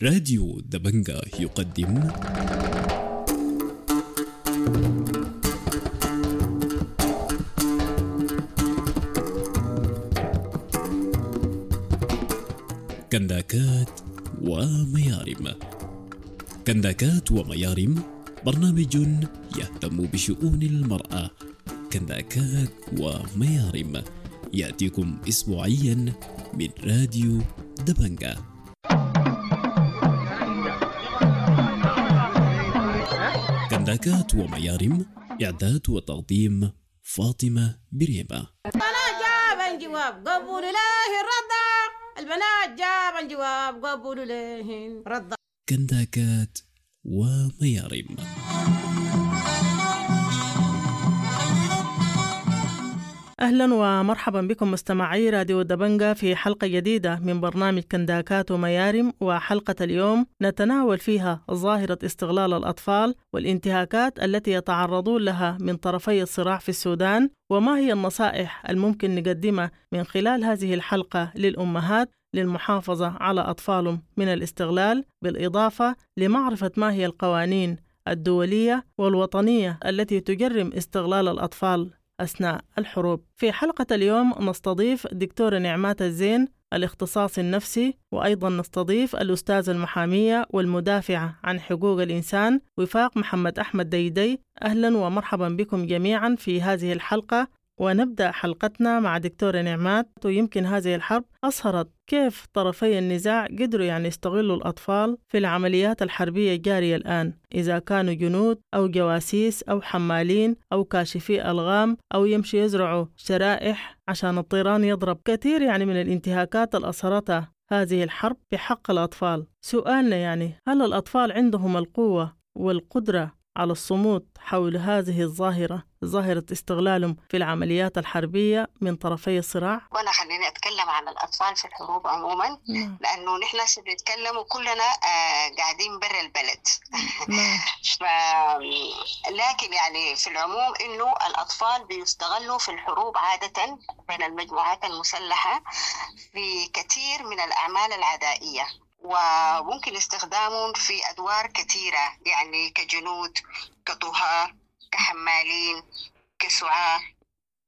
راديو دبنجا يقدم كنداكات وميارم. كنداكات وميارم برنامج يهتم بشؤون المرأة. كنداكات وميارم يأتيكم أسبوعيا من راديو دبنجا. كنداكات وميارم، إعداد وتقديم فاطمة بريمة. البنات جابن جواب قبولوا له الرضا، البنات جابن جواب قبولوا له الرضا. كنداكات وميارم. أهلا ومرحبا بكم مستمعي راديو دبنجا في حلقة جديدة من برنامج كنداكات وميارم. وحلقة اليوم نتناول فيها ظاهرة استغلال الأطفال والانتهاكات التي يتعرضون لها من طرفي الصراع في السودان، وما هي النصائح الممكن نقدمها من خلال هذه الحلقة للأمهات للمحافظة على أطفالهم من الاستغلال، بالإضافة لمعرفة ما هي القوانين الدولية والوطنية التي تجرم استغلال الأطفال أثناء الحروب. في حلقة اليوم نستضيف دكتورة نعمات الزين الاختصاص النفسي، وأيضا نستضيف الأستاذة المحامية والمدافعة عن حقوق الإنسان وفاق محمد أحمد ديدي. أهلا ومرحبا بكم جميعا في هذه الحلقة. ونبدأ حلقتنا مع دكتورة نعمات. ويمكن هذه الحرب أظهرت كيف طرفي النزاع قدروا يعني يستغلوا الأطفال في العمليات الحربية الجارية الآن، إذا كانوا جنود أو جواسيس أو حمالين أو كاشفي ألغام أو يمشي يزرعوا شرائح عشان الطيران يضرب. كثير يعني من الانتهاكات اللي أثرتها هذه الحرب بحق الأطفال. سؤالنا يعني هل الأطفال عندهم القوة والقدرة على الصمود حول هذه الظاهرة، ظاهرة استغلالهم في العمليات الحربية من طرفي الصراع؟ وأنا خليني أتكلم عن الأطفال في الحروب عموما، لأنه نحن بنتكلم وكلنا قاعدين برا البلد. لكن يعني في العموم إنه الأطفال بيستغلوا في الحروب عادة بين المجموعات المسلحة في كثير من الأعمال العدائية، وممكن استخدامهم في أدوار كثيرة، يعني كجنود، كطهاة، كحمالين، كسعاة،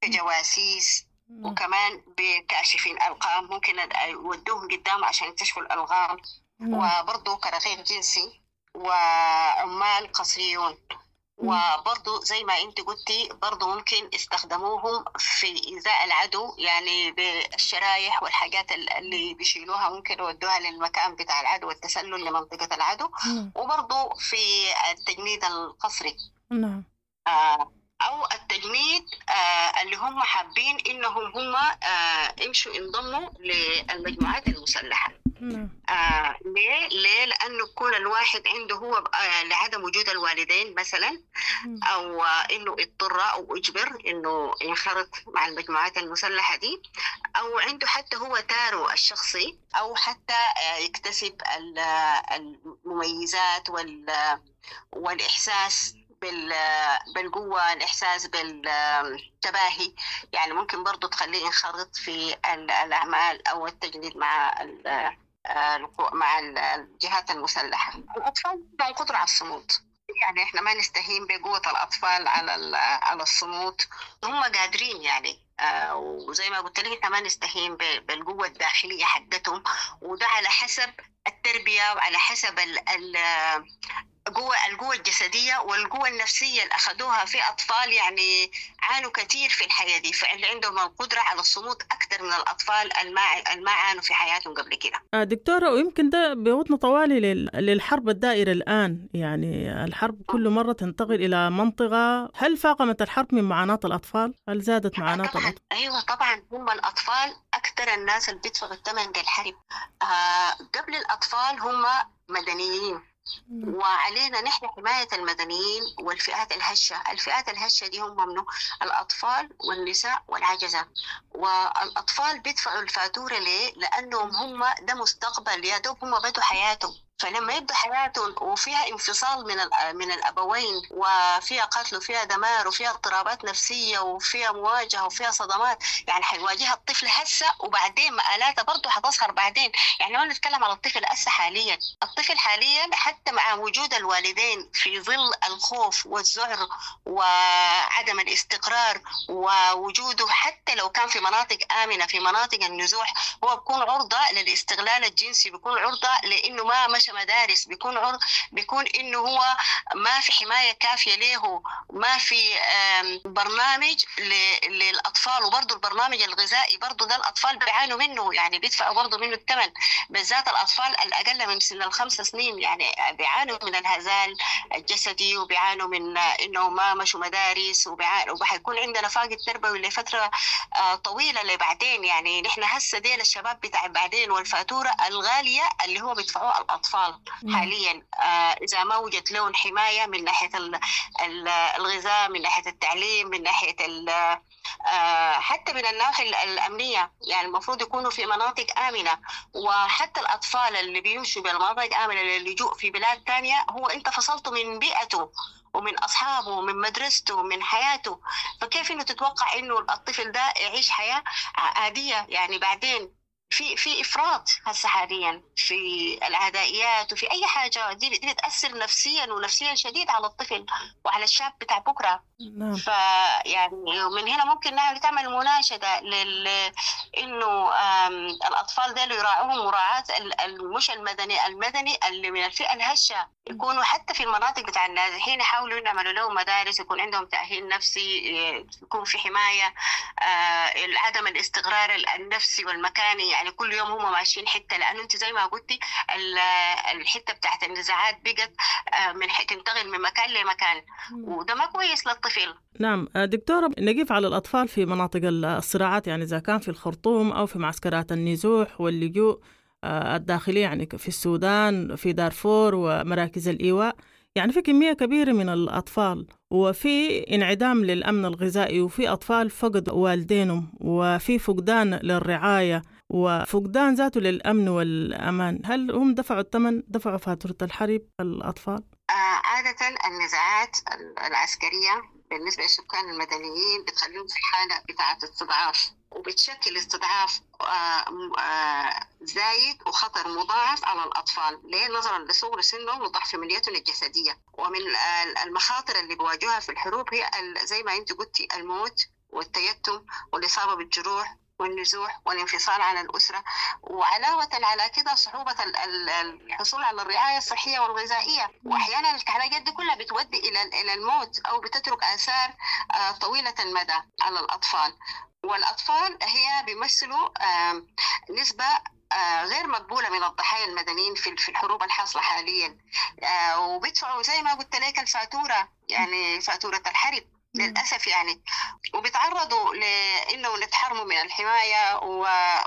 كجواسيس، وكمان بكاشفين ألغام، ممكن يودوهم قدام عشان يكتشفوا الألغام، وبرضو كرقيق جنسي وعمال قصريون. وبرضو زي ما انت قلتي برضو ممكن استخدموهم في إيذاء العدو، يعني بالشرايح والحاجات اللي بيشيلوها ممكن يودوها للمكان بتاع العدو والتسلل لمنطقة العدو، وبرضو في التجنيد القسري. أو التجنيد اللي هم حابين إنهم هم يمشوا ينضموا للمجموعات المسلحة. ليه؟ ليه؟ لأنه يكون الواحد عنده هو لعدم وجود الوالدين مثلا، أو إنه اضطر أو أجبر إنه ينخرط مع المجموعات المسلحة دي، أو عنده حتى هو تاره الشخصي، أو حتى يكتسب المميزات والإحساس بالقوة، الإحساس بالتباهي، يعني ممكن برضو تخليه ينخرط في الأعمال أو التجنيد مع الجهات المسلحة. الأطفال عندهم قدرة على الصمود، يعني إحنا ما نستهين بقوة الأطفال على الصمود، هم قادرين يعني. وزي ما قلت لك إحنا ما نستهين بالقوة الداخلية حقتهم، وده على حسب التربية وعلى حسب القوة الجسدية والقوة النفسية اللي أخذوها. في أطفال يعني عانوا كثير في الحياة دي، فاللي عندهم القدرة على الصمود أكثر من الأطفال الما عانوا في حياتهم قبل كده. دكتورة، ويمكن ده بيوتنا طوالي للحرب الدائرة الآن، يعني الحرب كل مرة تنتقل إلى منطقة. هل فاقمت الحرب من معاناة الأطفال؟ هل زادت معاناة الأطفال؟ أيوة طبعا، هم الأطفال أكثر الناس اللي بيدفعوا الثمن للحرب. قبل الأطفال هم مدنيين، وعلينا نحن حماية المدنيين والفئات الهشة. الفئات الهشة دي هم منو؟ الأطفال والنساء والعجزة. والأطفال بيدفعوا الفاتورة ليه؟ لأنهم هم ده مستقبل، يا دوب هم بدوا حياتهم. فلما يبدا حياته وفيها انفصال من الابوين، وفيها قتل وفيها دمار وفيها اضطرابات نفسية وفيها مواجهة وفيها صدمات، يعني حيواجهها الطفل هسه، وبعدين مآلاتها برضه حتظهر بعدين. يعني ما نتكلم على الطفل هسه حاليا، الطفل حاليا حتى مع وجود الوالدين في ظل الخوف والذعر وعدم الاستقرار ووجوده حتى لو كان في مناطق آمنة في مناطق النزوح، هو بيكون عرضة للاستغلال الجنسي، بيكون عرضة لأنه ما مشى مدارس، بيكون إنه هو ما في حماية كافية له، ما في برنامج للأطفال. وبرضه البرنامج الغذائي برضه ده الأطفال بيعانوا منه، يعني بيدفعوا برضه منه الثمن، بالذات الأطفال الأقل من سن 5 سنين، يعني بيعانوا من الهزال الجسدي وبيعانوا من إنه ما مشوا مدارس، وحيكون عندنا فاقد تربوي لفترة طويلة لبعدين. يعني نحن هسه ديل الشباب بتاع بعدين، والفاتورة الغالية اللي هو بيدفعوها الأطفال حاليا إذا ما وجد لهم حماية من ناحية الغذاء، من ناحية التعليم، من ناحية حتى من الناحية الأمنية. يعني المفروض يكونوا في مناطق آمنة، وحتى الأطفال اللي بيمشوا بالمناطق آمنة للجوء في بلاد تانية، هو أنت فصلته من بيئته ومن أصحابه ومن مدرسته ومن حياته، فكيف إنه تتوقع إنه الطفل ده يعيش حياة عادية؟ يعني بعدين في إفراط هسه حاليا في العدائيات وفي أي حاجة، دي بتأثر نفسيا ونفسيا شديد على الطفل وعلى الشاب بتاع بكرة. نعم. فيعني من هنا ممكن تعمل مناشدة إنه الأطفال دول يراعوهم مراعاة مش المدني اللي من الفئة الهشة، يكونوا حتى في المناطق بتاع النازحين يحاولوا يعملوا لهم مدارس، يكون عندهم تأهيل نفسي، يكون في حماية، عدم الاستقرار النفسي والمكاني، يعني كل يوم هم ماشيين حتة، لأنه أنت زي ما قلتي الحتة بتاعت النزاعات بقت من تنتقل من مكان لمكان، وده ما كويس للطفل. نعم دكتورة، نقف على الأطفال في مناطق الصراعات، يعني إذا كان في الخرطوم أو في معسكرات النزوح واللجوء الداخلية، يعني في السودان، في دارفور ومراكز الإيواء، يعني في كمية كبيرة من الأطفال، وفي انعدام للأمن الغذائي، وفي أطفال فقدوا والدينهم، وفي فقدان للرعاية، وفقدان ذاته للأمن والأمان. هل هم دفعوا الثمن، دفعوا فاتورة الحرب الأطفال؟ عادة النزاعات العسكرية بالنسبة للسكان المدنيين بتخليهم في حالة بتاعة استضعاف، وبتشكل استضعاف زايد وخطر مضاعف على الأطفال. ليه؟ نظرا لصغر سنهم وضعف منيتهم الجسدية. ومن المخاطر اللي بيواجهها في الحروب هي زي ما انت قلتي الموت والتيتم والإصابة بالجروح والنزوح والانفصال عن الأسرة، وعلاوة على كده صعوبة الحصول على الرعاية الصحية والغذائية. وأحيانا الحاجات دي كلها بتودي إلى الموت أو بتترك آثار طويلة المدى على الأطفال. والأطفال هي بيمثلوا نسبة غير مقبولة من الضحايا المدنيين في الحروب الحاصلة حاليا، وبيدفعوا زي ما قلت لك الفاتورة، يعني فاتورة الحرب للأسف يعني، وبيتعرضوا لأنه يتحرموا من الحماية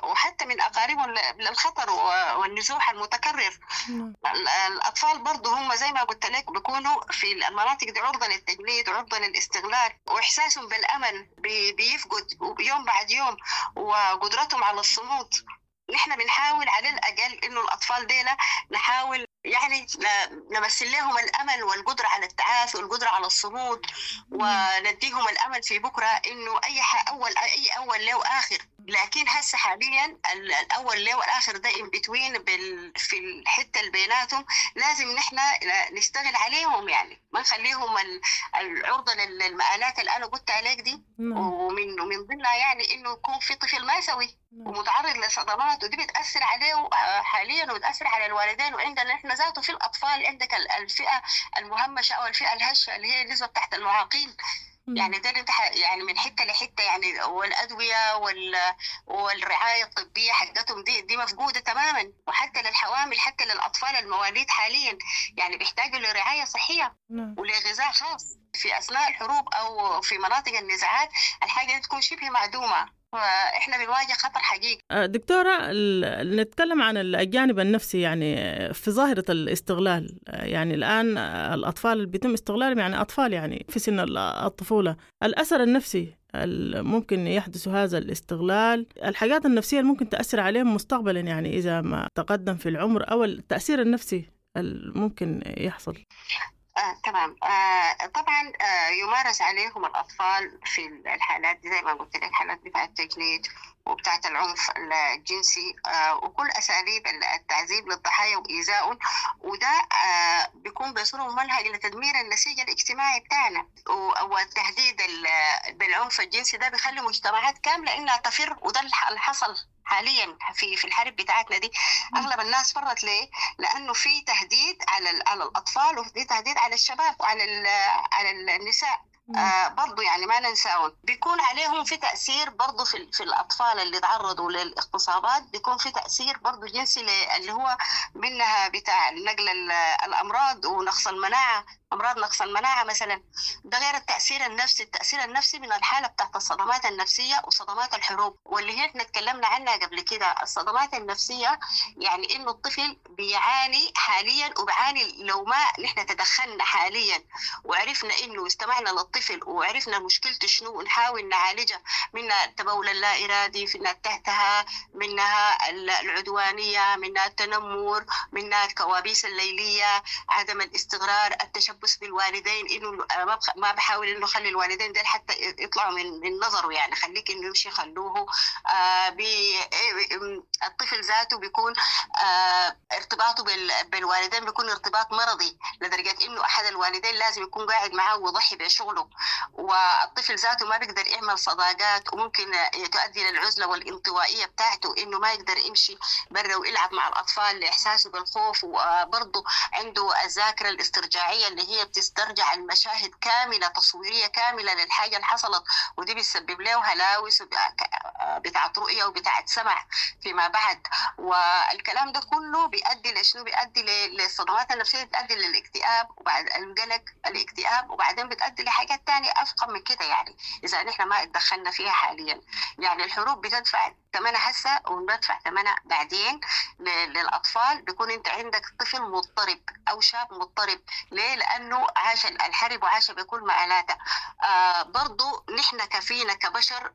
وحتى من أقاربهم للخطر والنزوح المتكرر. الأطفال برضو هم زي ما قلت لك بيكونوا في المناطق دي عرضة للتجنيد وعرضة للاستغلال، وإحساسهم بالأمل بيفقد يوم بعد يوم، وقدرتهم على الصمود. نحن بنحاول على الأقل إنه الأطفال ديلا نحاول يعني نمثل لهم الأمل والقدرة على التعافي والقدرة على الصمود، ونديهم الأمل في بكرة إنه أي أول له آخر. لكن هسه حاليا الأول له والآخر ده in between في الحتة اللي بيناتهم، لازم نحن نشتغل عليهم، يعني ما نخليهم العرضة للمآلات اللي أنا قلت عليك دي. ومن ضمنها يعني إنه يكون في طفل ما سوي ومتعرض لصدمات، ودي بتأثر عليه حاليا وبتأثر على الوالدين. وعندنا نحن ذاته في الأطفال عندك الفئة المهمشة أو الفئة الهشة اللي هي النسبة تحت المعاقين، يعني ده يعني من حتة لحتة يعني، والأدوية والرعاية الطبية حقتهم دي مفقودة تماما. وحتى للحوامل، حتى للأطفال المواليد حاليا يعني بيحتاجوا لرعاية صحية ولغذاء خاص في أثناء الحروب أو في مناطق النزاعات. الحاجة دي تكون شبه معدومة، فإحنا بنواجه خطر حقيقي. دكتورة، نتكلم عن الجانب النفسي يعني في ظاهرة الاستغلال. يعني الآن الأطفال اللي بيتم استغلالهم يعني أطفال يعني في سن الطفولة، الأثر النفسي ممكن يحدث هذا الاستغلال، الحاجات النفسية اللي ممكن تأثر عليهم مستقبلا يعني إذا ما تقدم في العمر، أو التأثير النفسي الممكن يحصل؟ تمام. طبعا يمارس عليهم الأطفال في الحالات دي زي ما قلت لك، حالات بتاعة التجنيد وبتاعة العنف الجنسي وكل أساليب التعذيب للضحايا وإيذائهم، وده بيكون بصورة ممنهجة لتدمير النسيج الاجتماعي بتاعنا. والتهديد بالعنف الجنسي ده بيخلي مجتمعات كاملة إنها تفر، وده اللي حصل حاليا في الحرب بتاعتنا دي. اغلب الناس فرت ليه؟ لانه في تهديد على الاطفال، وفي تهديد على الشباب وعلى على النساء برضو، يعني ما ننساهم. بيكون عليهم في تأثير برضو في الأطفال اللي تعرضوا للاغتصابات، بيكون في تأثير برضو جنسي اللي هو منها بتاع نقل الأمراض ونقص المناعة، أمراض نقص المناعة مثلا. ده غير التأثير النفسي، التأثير النفسي من الحالة بتاعت الصدمات النفسية وصدمات الحروب، واللي هي احنا اتكلمنا عنها قبل كده. الصدمات النفسية يعني إنه الطفل بيعاني حاليا، وبيعاني لو ما نحن تدخلنا حاليا وعرفنا إنه استمعنا للطفل وعرفنا مشكلته شنو ونحاول نعالجها، منها التبول اللا إرادي، منها التهتها، منها العدوانية، منها التنمر، منها الكوابيس الليلية، عدم الاستقرار، التشبث بالوالدين، انه ما بحاول انه خلي الوالدين ديل حتى يطلعوا من نظره، يعني خليك انه يمشي خلوه. الطفل ذاته بيكون ارتباطه بالوالدين بيكون ارتباط مرضي، لدرجة انه احد الوالدين لازم يكون قاعد معاه ويضحي بشغله، والطفل ذاته ما بيقدر يعمل صداقات، وممكن تؤدي للعزلة والانطوائية بتاعته، انه ما يقدر يمشي برا ويلعب مع الاطفال لاحساسه بالخوف. وبرضه عنده الذاكرة الاسترجاعية اللي هي بتسترجع المشاهد كاملة، تصويرية كاملة للحاجة اللي حصلت، ودي بتسبب له هلاوس بتاعة رؤية وبتاعة سمع فيما بعد. والكلام ده كله بيؤدي لشنو؟ بيؤدي للصدمات النفسية، بتؤدي للاكتئاب وبعد القلق الاكتئاب، وبعدين بتؤدي لحاجات تانية أفقم من كده، يعني إذا نحن ما اتدخلنا فيها حاليا. يعني الحروب بتدفع ثمنها هسه وندفع ثمنها بعدين للأطفال. بيكون أنت عندك طفل مضطرب أو شاب مضطرب، ليه؟ لأنه عاش الحرب وعاش بكل مآلاته. برضو نحن كفينا كبشر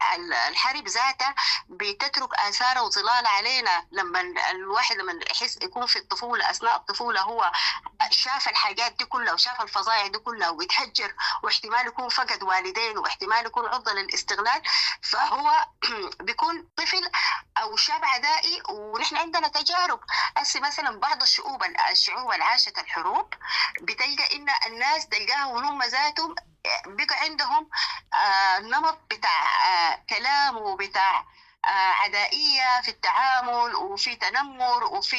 الحرب ذاتها بتترك آثار وظلال علينا. لما الواحد لما يحس يكون في الطفولة، أثناء الطفولة هو شاف الحاجات دي كلها وشاف الفظائع دي كلها ويتهجر، واحتمال يكون فقد والدين، واحتمال يكون عرضة للاستغلال، فهو بيكون طفل أو شاب عدائي. ونحن عندنا تجارب هسه مثلا بعض الشعوب اللي عاشت الحروب بتلقى إن الناس تلقاها وهم ذاتهم بقى عندهم نمط بتاع كلام وبتاع عدائية في التعامل، وفي تنمر، وفي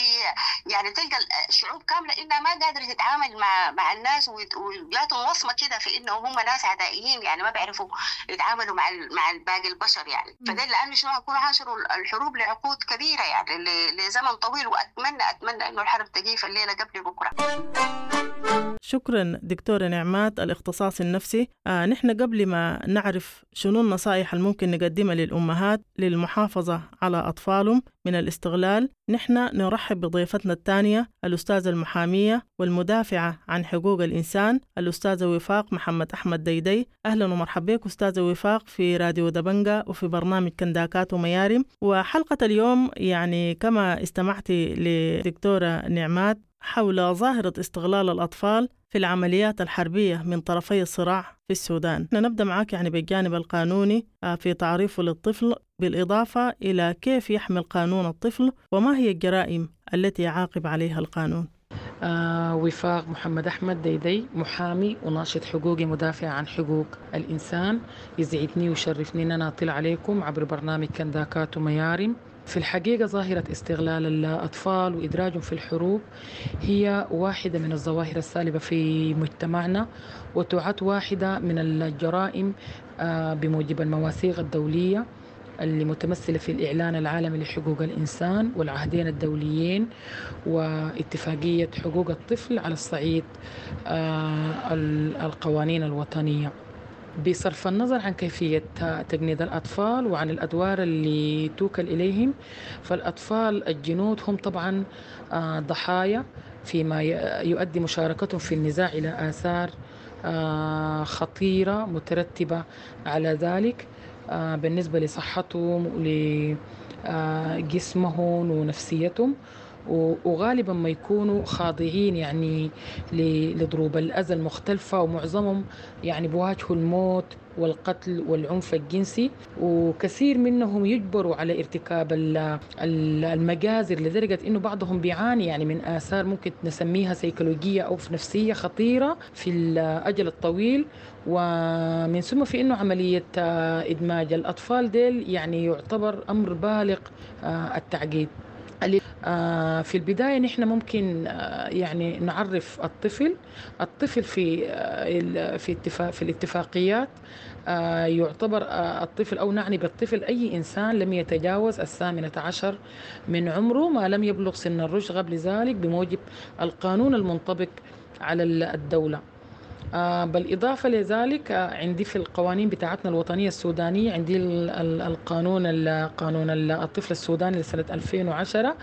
يعني تلقى الشعوب كاملة إنها ما قادرة تتعامل مع الناس، وجاتهم وصمة كده في إنه هم ناس عدائيين، يعني ما بيعرفوا يتعاملوا مع باقي البشر يعني. فده لأنه شنو يكونوا عاشروا الحروب لعقود كبيرة، يعني لزمن طويل. وأتمنى أتمنى إنه الحرب تجي الليلة قبل بكرة. شكرا دكتورة نعمات الاختصاص النفسي. نحن قبل ما نعرف شنو النصائح الممكن نقدمها للأمهات للمحافظة على أطفالهم من الاستغلال، نحن نرحب بضيفتنا الثانية الأستاذة المحامية والمدافعة عن حقوق الإنسان الأستاذة وفاق محمد أحمد ديدي. أهلا ومرحبا بك أستاذة وفاق في راديو دبنجة وفي برنامج كنداكات وميارم. وحلقة اليوم يعني كما استمعت لدكتورة نعمات حول ظاهرة استغلال الأطفال في العمليات الحربية من طرفي الصراع في السودان. نبدأ معك يعني بالجانب القانوني في تعريفه للطفل، بالإضافة إلى كيف يحمي القانون الطفل وما هي الجرائم التي يعاقب عليها القانون. وفاق محمد أحمد ديدي، محامي وناشط حقوقي مدافع عن حقوق الإنسان. يسعدني ويشرفني أن أنا أطلع عليكم عبر برنامج كنداكات وميارم. في الحقيقة ظاهرة استغلال الأطفال وإدراجهم في الحروب هي واحدة من الظواهر السالبة في مجتمعنا، وتعد واحدة من الجرائم بموجب المواثيق الدولية اللي متمثلة في الإعلان العالمي لحقوق الإنسان والعهدين الدوليين واتفاقية حقوق الطفل على الصعيد القوانين الوطنية. بصرف النظر عن كيفية تجنيد الأطفال وعن الأدوار اللي توكل إليهم، فالأطفال الجنود هم طبعا ضحايا فيما يؤدي مشاركتهم في النزاع إلى آثار خطيرة مترتبة على ذلك بالنسبة لصحتهم ولجسمهم ونفسيتهم. وغالبا ما يكونوا خاضعين يعني لضروب الأذى المختلفة، ومعظمهم يعني بيواجهوا الموت والقتل والعنف الجنسي، وكثير منهم يجبروا على ارتكاب المجازر لدرجة إنه بعضهم بيعاني يعني من آثار ممكن نسميها سيكولوجية أو نفسية خطيرة في الأجل الطويل. ومن ثم في إنه عملية إدماج الأطفال ديل يعني يعتبر أمر بالغ التعقيد. في البداية نحن ممكن يعني نعرف الطفل في في الاتفاقيات يعتبر الطفل أو نعني بالطفل أي إنسان لم يتجاوز 18 من عمره ما لم يبلغ سن الرشد قبل ذلك بموجب القانون المنطبق على الدولة. بالإضافة لذلك عندي في القوانين بتاعتنا الوطنية السودانية عندي القانون قانون الطفل السوداني لسنة 2010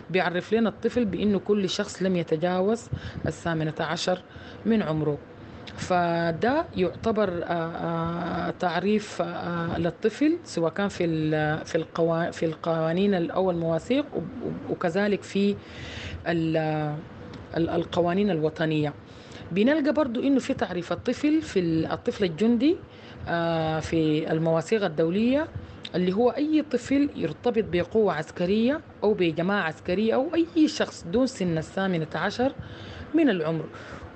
بيعرف لنا الطفل بأنه كل شخص لم يتجاوز 18 من عمره. فده يعتبر تعريف للطفل سواء كان في القوانين أو المواثيق وكذلك في القوانين الوطنية. بنلقى برضو إنه في تعريف الطفل في الطفل الجندي في المواثيق الدولية اللي هو أي طفل يرتبط بقوة عسكرية أو بجماعة عسكرية أو أي شخص دون سن 18 من العمر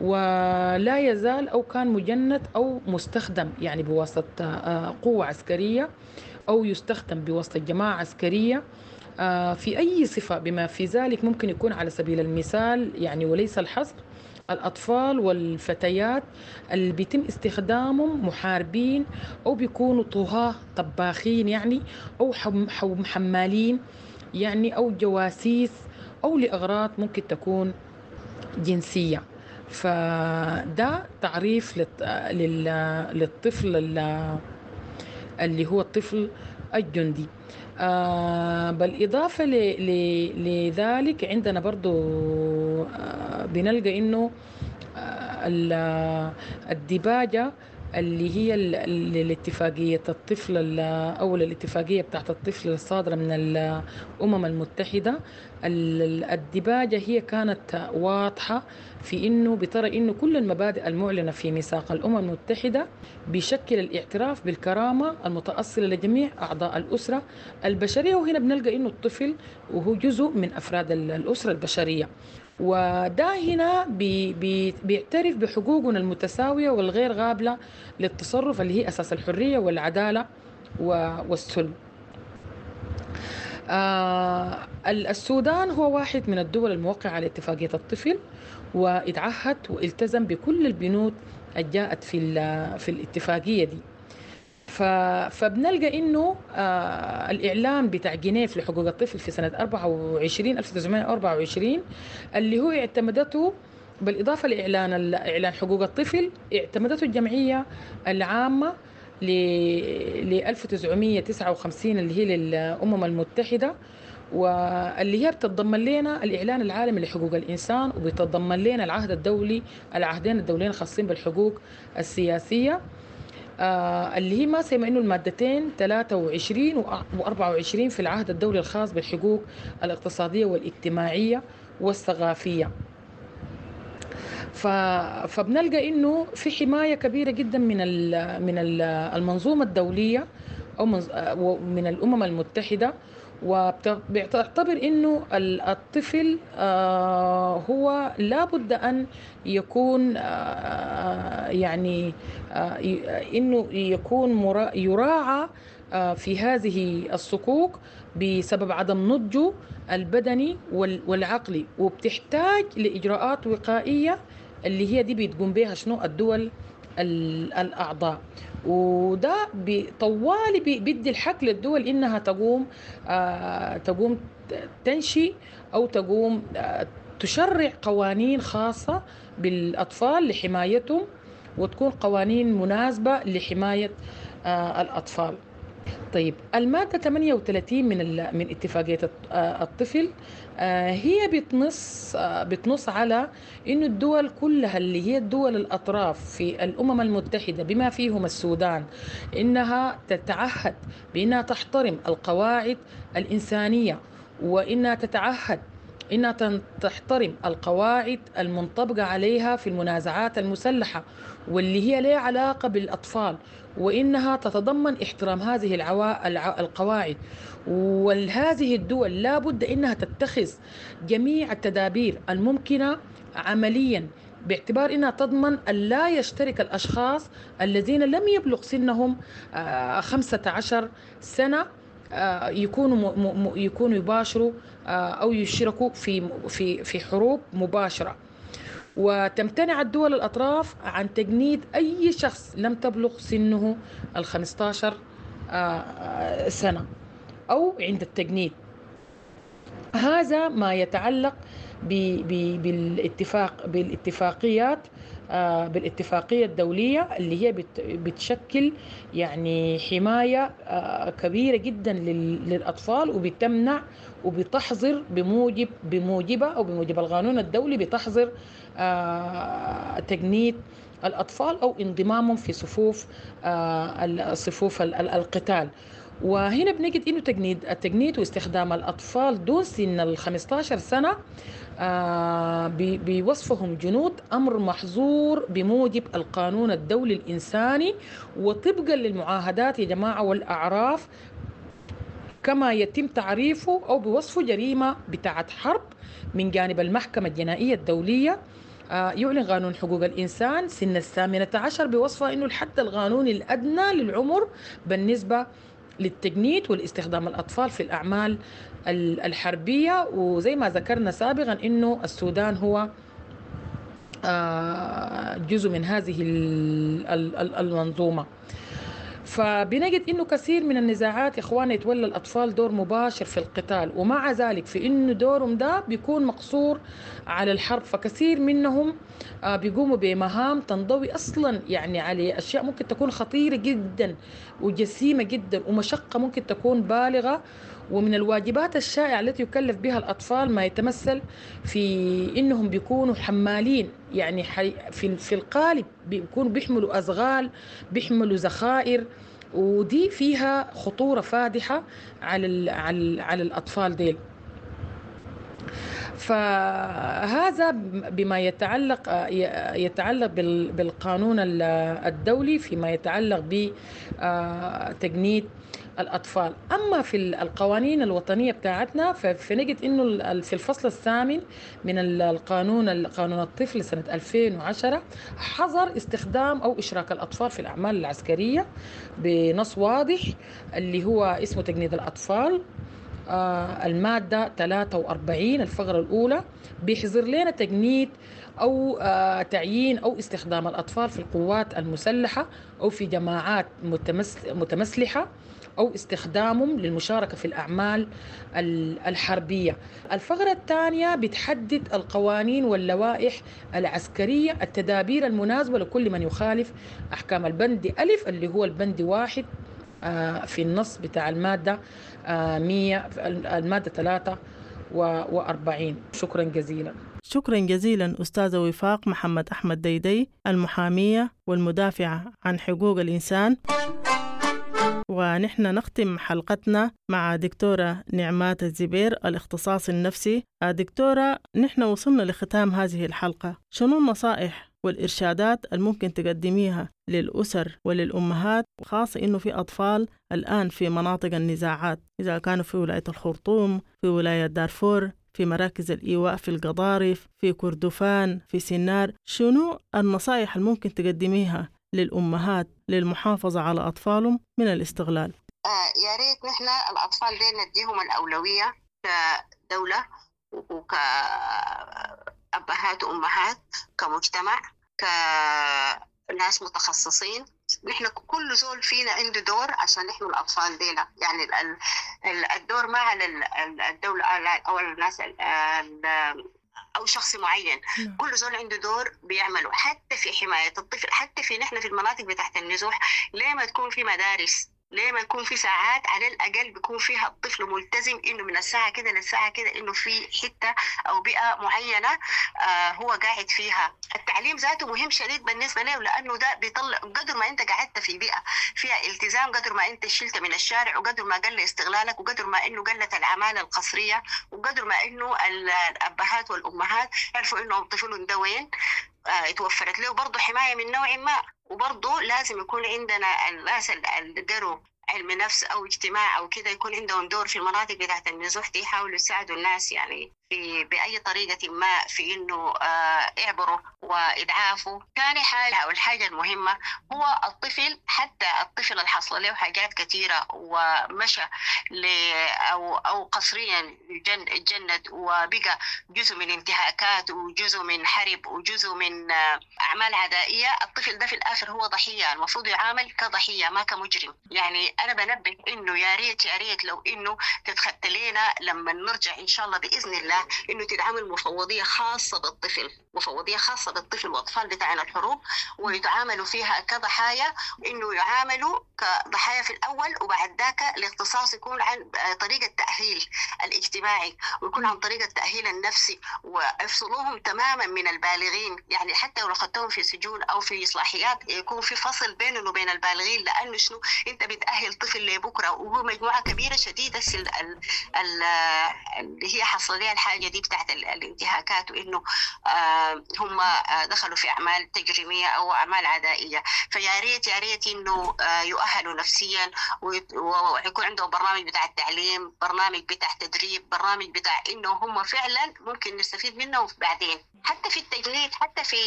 ولا يزال أو كان مجند أو مستخدم يعني بواسطة قوة عسكرية أو يستخدم بواسطة جماعة عسكرية في أي صفة، بما في ذلك ممكن يكون على سبيل المثال يعني وليس الحصر الأطفال والفتيات اللي بيتم استخدامهم محاربين أو بيكونوا طهاة طباخين يعني أو حمالين يعني أو جواسيس أو لأغراض ممكن تكون جنسية. فده تعريف للطفل اللي هو الطفل الجندي. بالإضافة لذلك عندنا برضو بنلقى إنه الديباجة اللي هي الاتفاقية الطفل أو الاتفاقية بتاعت الطفل الصادرة من الأمم المتحدة، الديباجة هي كانت واضحة في إنه بترى إنه كل المبادئ المعلنة في ميثاق الأمم المتحدة بشكل الاعتراف بالكرامة المتأصلة لجميع أعضاء الأسرة البشرية، وهنا بنلقى إنه الطفل وهو جزء من أفراد الأسرة البشرية، وده هنا بيعترف بحقوقنا المتساوية والغير قابلة للتصرف اللي هي أساس الحرية والعدالة والسلم. السودان هو واحد من الدول الموقعة على اتفاقية الطفل، واتعهد والتزم بكل البنود اللي جاءت في الاتفاقية دي. فبنلقى انه الاعلان بتاع جنيف لحقوق الطفل في سنه 1924 اللي هو اعتمدته بالاضافه لاعلان اعلان حقوق الطفل، اعتمدته الجمعيه العامه ل 1959 اللي هي للامم المتحده، واللي هي بتتضمن لنا الاعلان العالمي لحقوق الانسان، وبتتضمن لنا العهد الدولي، العهدين الدوليين الخاصين بالحقوق السياسيه، اللي هي ما سيما انه المادتين 23 و24 في العهد الدولي الخاص بالحقوق الاقتصادية والاجتماعية والثقافية. فبنلقى انه في حماية كبيرة جدا من المنظومة الدولية او من الامم المتحدة، وبتعتبر انه الطفل هو لابد ان يكون يعني انه يكون يراعى في هذه الصكوك بسبب عدم نضجه البدني والعقلي، وبتحتاج لاجراءات وقائية اللي هي دي بتقوم بها شنو الدول الأعضاء. وده طوالي بيدي الحق للدول إنها تقوم تنشئ أو تقوم تشرع قوانين خاصة بالأطفال لحمايتهم، وتكون قوانين مناسبة لحماية الأطفال. طيب المادة 38 من اتفاقية الطفل هي بتنص على إنه الدول كلها اللي هي الدول الأطراف في الأمم المتحدة بما فيهم السودان إنها تتعهد بإنها تحترم القواعد الإنسانية، وإنها تتعهد إنها تحترم القواعد المنطبقة عليها في المنازعات المسلحة واللي هي لها علاقة بالأطفال، وإنها تتضمن احترام هذه القواعد. وهذه الدول لا بد إنها تتخذ جميع التدابير الممكنة عمليا باعتبار إنها تضمن أن لا يشترك الأشخاص الذين لم يبلغ سنهم 15 سنة يكونوا يباشروا أو يشاركوا في في في حروب مباشرة. وتمتنع الدول الأطراف عن تجنيد أي شخص لم تبلغ سنه 15 سنة أو عند التجنيد. هذا ما يتعلق بالاتفاقيات، بالاتفاقية الدولية اللي هي بتشكل يعني حماية كبيرة جدا للأطفال، وبتمنع وبتحظر بموجبة أو بموجب القانون الدولي بتحظر تجنيد الأطفال أو انضمامهم في صفوف القتال. وهنا بنجد إنه التجنيد واستخدام الأطفال دون سن 15 سنة بوصفهم جنود أمر محظور بموجب القانون الدولي الإنساني وطبقا للمعاهدات يا جماعة والأعراف، كما يتم تعريفه أو بوصفه جريمة بتاعت حرب من جانب المحكمة الجنائية الدولية. يعلن قانون حقوق الإنسان سن 18 بوصفه إنه الحد القانوني الأدنى للعمر بالنسبة للتجنيد والاستخدام الأطفال في الأعمال الحربية. وزي ما ذكرنا سابقا إنه السودان هو جزء من هذه المنظومة. فبنجد إنه كثير من النزاعات يا إخواني يتولى الأطفال دور مباشر في القتال، ومع ذلك في إنه دورهم ده بيكون مقصور على الحرب، فكثير منهم بيقوموا بمهام تنضوي أصلا يعني على أشياء ممكن تكون خطيرة جدا وجسيمة جدا ومشقة ممكن تكون بالغة. ومن الواجبات الشائعة التي يكلف بها الأطفال ما يتمثل في إنهم بيكونوا حمالين، يعني في القالب بيكونوا بيحملوا أزغال، بيحملوا ذخائر، ودي فيها خطورة فادحة على على الأطفال ديل. فهذا بما يتعلق بالقانون الدولي فيما يتعلق بتجنيد الأطفال. أما في القوانين الوطنية بتاعتنا فنجد إنه في الفصل الثامن من القانون قانون الطفل سنة 2010 حظر استخدام أو إشراك الأطفال في الأعمال العسكرية بنص واضح اللي هو اسمه تجنيد الأطفال، المادة 43 الفقرة الأولى بيحظر لنا تجنيد أو تعيين أو استخدام الأطفال في القوات المسلحة أو في جماعات متمسلحة أو استخدامهم للمشاركة في الأعمال الحربية. الفقرة الثانية بتحدد القوانين واللوائح العسكرية، التدابير المناسبة لكل من يخالف أحكام البند ألف اللي هو البند 1 في النص بتاع المادة 100 المادة 43. شكرا جزيلا. شكرا جزيلا أستاذة وفاق محمد أحمد ديدي، المحامية والمدافعة عن حقوق الإنسان. ونحن نختم حلقتنا مع دكتورة نعمات الزبير الاختصاص النفسي. دكتورة، نحن وصلنا لختام هذه الحلقة، شنو النصائح والإرشادات الممكن تقدميها للأسر وللأمهات، خاصة إنه في أطفال الآن في مناطق النزاعات، إذا كانوا في ولاية الخرطوم، في ولاية دارفور، في مراكز الإيواء في القضارف، في كردفان، في سنار، شنو النصائح الممكن تقدميها للأمهات للمحافظة على أطفالهم من الاستغلال؟ يا ريت نحن الأطفال دي نديهم الأولوية كدولة وكأبهات وأمهات، كمجتمع، كناس متخصصين. نحن كل زول فينا عنده دور عشان نحمي الأطفال دينا. يعني الدور ما على الدولة أو الناس أو شخص معين. كل زول عنده دور بيعمله حتى في حماية الطفل، حتى في نحن في المناطق بتاعت النزوح. ليه ما تكون في مدارس ليه ما يكون في ساعات على الأقل بيكون فيها الطفل ملتزم إنه من الساعة كده للساعة كده إنه في حتة أو بيئة معينة هو قاعد فيها. التعليم ذاته مهم شديد بالنسبة له، لأنه ده بيطلع قدر ما أنت قعدت في بيئة فيها التزام، قدر ما أنت شلت من الشارع، وقدر ما قل استغلالك، وقدر ما إنه قلت العمالة القسرية، وقدر ما إنه الأبهات والأمهات عرفوا إنه طفلهم ده وين، اتوفرت له برضه حماية من نوع ما. وبرضه لازم يكون عندنا الناس اللي قروا علم نفس أو اجتماع أو كده يكون عندهم دور في المناطق بتاعت النزوح دي، يحاولوا يساعدوا الناس يعني في بأي طريقة ما في إنه يعبروا ويتعافوا. ثاني حاجة أو الحاجة المهمة هو الطفل، حتى الطفل اللي حصل له حاجات كثيرة ومشى أو قسريا اتجند وبقى جزء من انتهاكات وجزء من حرب وجزء من أعمال عدائية، الطفل ده في الآخر هو ضحية، المفروض يعامل كضحية ما كمجرم. يعني أنا بنبه إنه يا ريت يا ريت لو إنه تتخطى لنا لما نرجع إن شاء الله بإذن الله إنه تتعامل مفوضية خاصة بالطفل، مفوضية خاصة بالطفل والأطفال بتاعنا الحروب، ويتعاملوا فيها كضحايا، إنه يعاملوا كضحايا في الأول، وبعد ذاك الاختصاص يكون عن طريقة التأهيل الاجتماعي، ويكون عن طريقة التأهيل النفسي، ويفصلوهم تماما من البالغين. يعني حتى لو أخذتهم في سجون أو في إصلاحيات يكون في فصل بينهم وبين البالغين، لأنه شنو أنت بتأهل طفل لبكرة، وهو مجموعة كبيرة شديدة اللي هي حصل لها الحاجة دي بتاعت الانتهاكات، وإنه هم دخلوا في أعمال تجريمية أو أعمال عدائية. فيا ريت يا ريت إنه يؤهلوا نفسيا، ويكون عندهم برنامج بتاع التعليم، برنامج بتاع تدريب، برنامج بتاع إنه هم فعلا ممكن نستفيد منهم بعدين، حتى في التجنيد، حتى في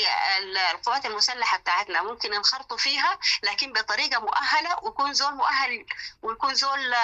القوات المسلحة بتاعتنا ممكن ينخرطوا فيها، لكن بطريقة مؤهلة، ويكون زول مؤهل، ويكون زول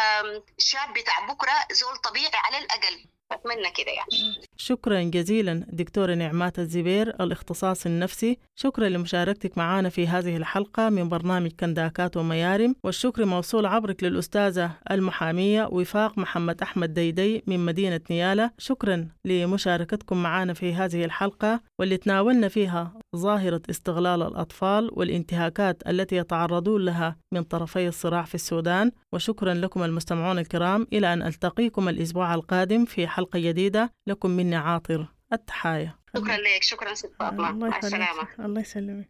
شاب بتاع بكرة، زول طبيعي على الأقل. أتمنى كده يعني. شكرا جزيلا دكتورة نعمات الزبير الاختصاص النفسي، شكرا لمشاركتك معنا في هذه الحلقة من برنامج كنداكات وميارم، والشكر موصول عبرك للأستاذة المحامية وفاق محمد أحمد ديدي من مدينة نيالا. شكرا لمشاركتكم معنا في هذه الحلقة واللي تناولنا فيها ظاهرة استغلال الأطفال والانتهاكات التي يتعرضون لها من طرفي الصراع في السودان. وشكرا لكم المستمعون الكرام، إلى أن ألتقيكم الأسبوع القادم في حلقة جديدة. لكم مني عاطر التحايا. شكرا لك، شكرا ست فاطمة، مع السلامة. الله يسلمك.